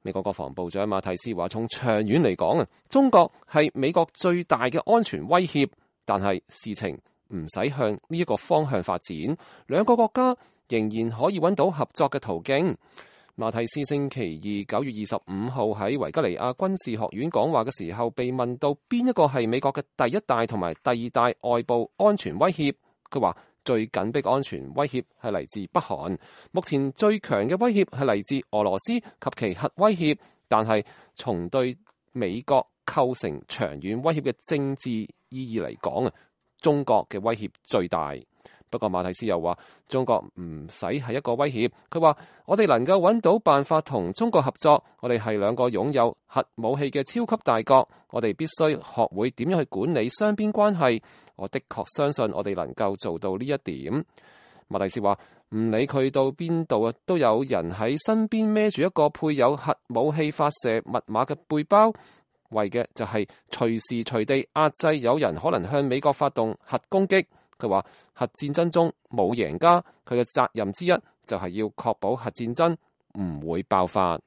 美國國防部長馬蒂斯話：從長遠嚟講啊，中國係美國最大嘅安全威脅，但係事情唔使向呢一個方向發展，兩個國家仍然可以揾到合作嘅途徑。馬蒂斯星期二9月25號喺維吉尼亞軍事學院講話嘅時候，被問到邊一個係美國嘅第一大同埋第二大外部安全威脅，佢話最緊迫安全威脅係嚟自北韓，目前最強嘅威脅係嚟自俄羅斯及其核威脅，但係從對美國構成長遠威脅嘅政治意義嚟講啊，中國嘅威脅最大。不過馬蒂斯又話，中國唔使係一個威脅，佢話我哋能夠揾到辦法同中國合作，我哋係兩個擁有核武器嘅超級大國，我哋必須學會點樣去管理雙邊關係。我的確相信我哋能夠做到呢一點。馬蒂斯話唔理佢到邊度啊，都有人喺身邊孭住一個配有核武器發射密碼嘅背包，為嘅就係隨時隨地壓制有人可能向美國發動核攻擊。佢話核戰爭中冇贏家，佢嘅責任之一就係要確保核戰爭唔會爆發。